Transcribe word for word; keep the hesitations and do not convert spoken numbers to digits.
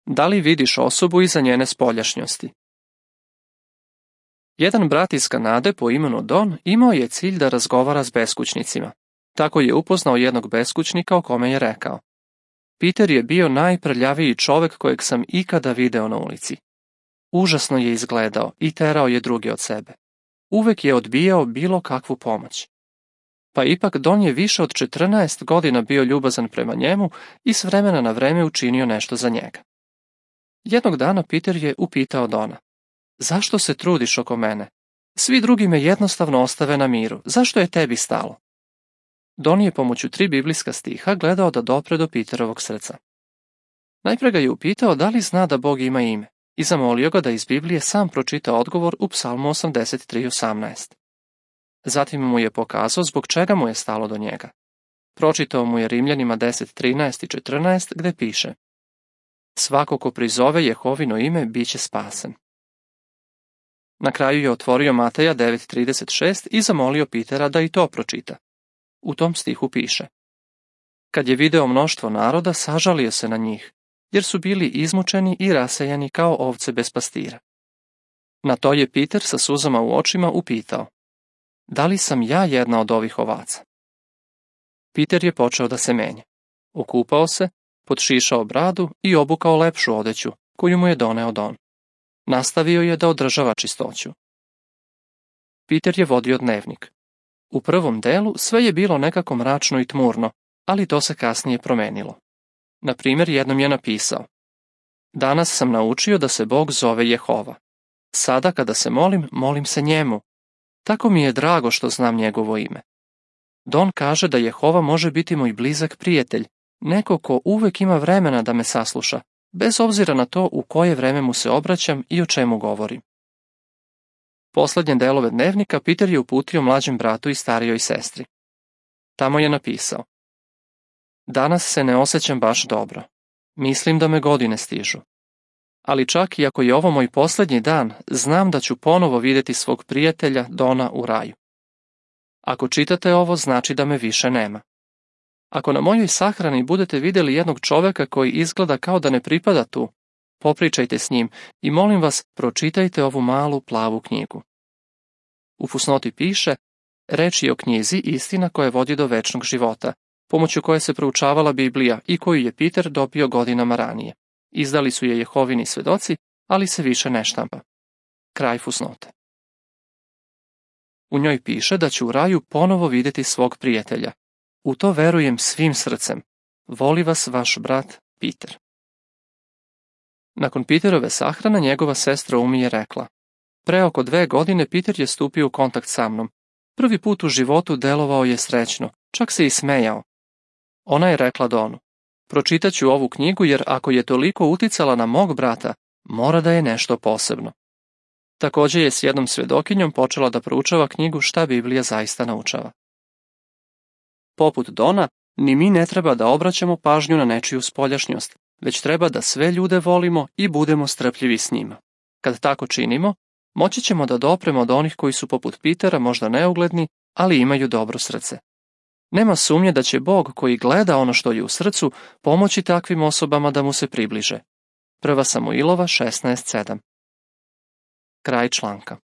Da li vidiš osobu iza njene spoljašnjosti? Jedan brat iz Kanade po imenu Don imao je cilj da razgovara s beskućnicima. Tako je upoznao jednog beskućnika o kome je rekao: Peter je bio najprljaviji čovek kojeg sam ikada video na ulici. Užasno je izgledao i terao je druge od sebe. Uvek je odbijao bilo kakvu pomoć. Pa ipak Don je više od četrnaest godina bio ljubazan prema njemu i s vremena na vreme učinio nešto za njega. Jednog dana Peter je upitao Dona: Zašto se trudiš oko mene? Svi drugi me jednostavno ostave na miru. Zašto je tebi stalo? Don je pomoću tri biblijska stiha gledao da dopre do Peterovog srca. Najpre ga je upitao da li zna da Bog ima ime i zamolio ga da iz Biblije sam pročita odgovor u Psalmu osamdeset tri osamnaest. Zatim mu je pokazao zbog čega mu je stalo do njega. Pročitao mu je Rimljanima deset trinaest i četrnaest gde piše: Svako ko prizove Jehovino ime biće spasen. Na kraju je otvorio Mateja devet trideset šest i zamolio Petera da i to pročita. U tom stihu piše: Kad je video mnoštvo naroda, sažalio se na njih, jer su bili izmučeni i rasejani kao ovce bez pastira. Na to je Peter sa suzama u očima upitao: Da li sam ja jedna od ovih ovaca? Peter je počeo da se menja. Okupao se, podšišao bradu i obukao lepšu odeću, koju mu je doneo Don. Nastavio je da održava čistoću. Peter je vodio dnevnik. U prvom delu sve je bilo nekako mračno i tmurno, ali to se kasnije promenilo. Na primjer, jednom je napisao: Danas sam naučio da se Bog zove Jehova. Sada kada se molim, molim se njemu. Tako mi je drago što znam njegovo ime. Don kaže da Jehova može biti moj blizak prijatelj, neko ko uvek ima vremena da me sasluša, bez obzira na to u koje vreme mu se obraćam i o čemu govorim. Poslednje delove dnevnika Peter je uputio mlađem bratu i starijoj sestri. Tamo je napisao: Danas se ne osjećam baš dobro. Mislim da me godine stižu. Ali čak i ako je ovo moj poslednji dan, znam da ću ponovo videti svog prijatelja Dona u raju. Ako čitate ovo, znači da me više nema. Ako na mojoj sahrani budete vidjeli jednog čoveka koji izgleda kao da ne pripada tu, popričajte s njim i molim vas, pročitajte ovu malu plavu knjigu. U fusnoti piše: Reč je o knjizi Istina koja vodi do večnog života, pomoću koje se proučavala Biblija i koju je Peter dobio godinama ranije. Izdali su je Jehovini svedoci, ali se više ne štampa. Kraj fusnote. U njoj piše da će u raju ponovo vidjeti svog prijatelja. U to verujem svim srcem. Voli vas vaš brat Peter. Nakon Peterove sahrane njegova sestra Umi je rekla: Pre oko dve godine Peter je stupio u kontakt sa mnom. Prvi put u životu delovao je srećno, čak se i smejao. Ona je rekla Donu: Pročitaću ovu knjigu jer ako je toliko uticala na mog brata, mora da je nešto posebno. Također je s jednom svedokinjom počela da proučava knjigu Šta Biblija zaista naučava. Poput Dona, ni mi ne treba da obraćamo pažnju na nečiju spoljašnjost, već treba da sve ljude volimo i budemo strpljivi s njima. Kad tako činimo, moći ćemo da dopremo do onih koji su poput Petera možda neugledni, ali imaju dobro srce. Nema sumnje da će Bog, koji gleda ono što je u srcu, pomoći takvim osobama da mu se približe. Prva Samuilova šesnaest sedam. Kraj članka.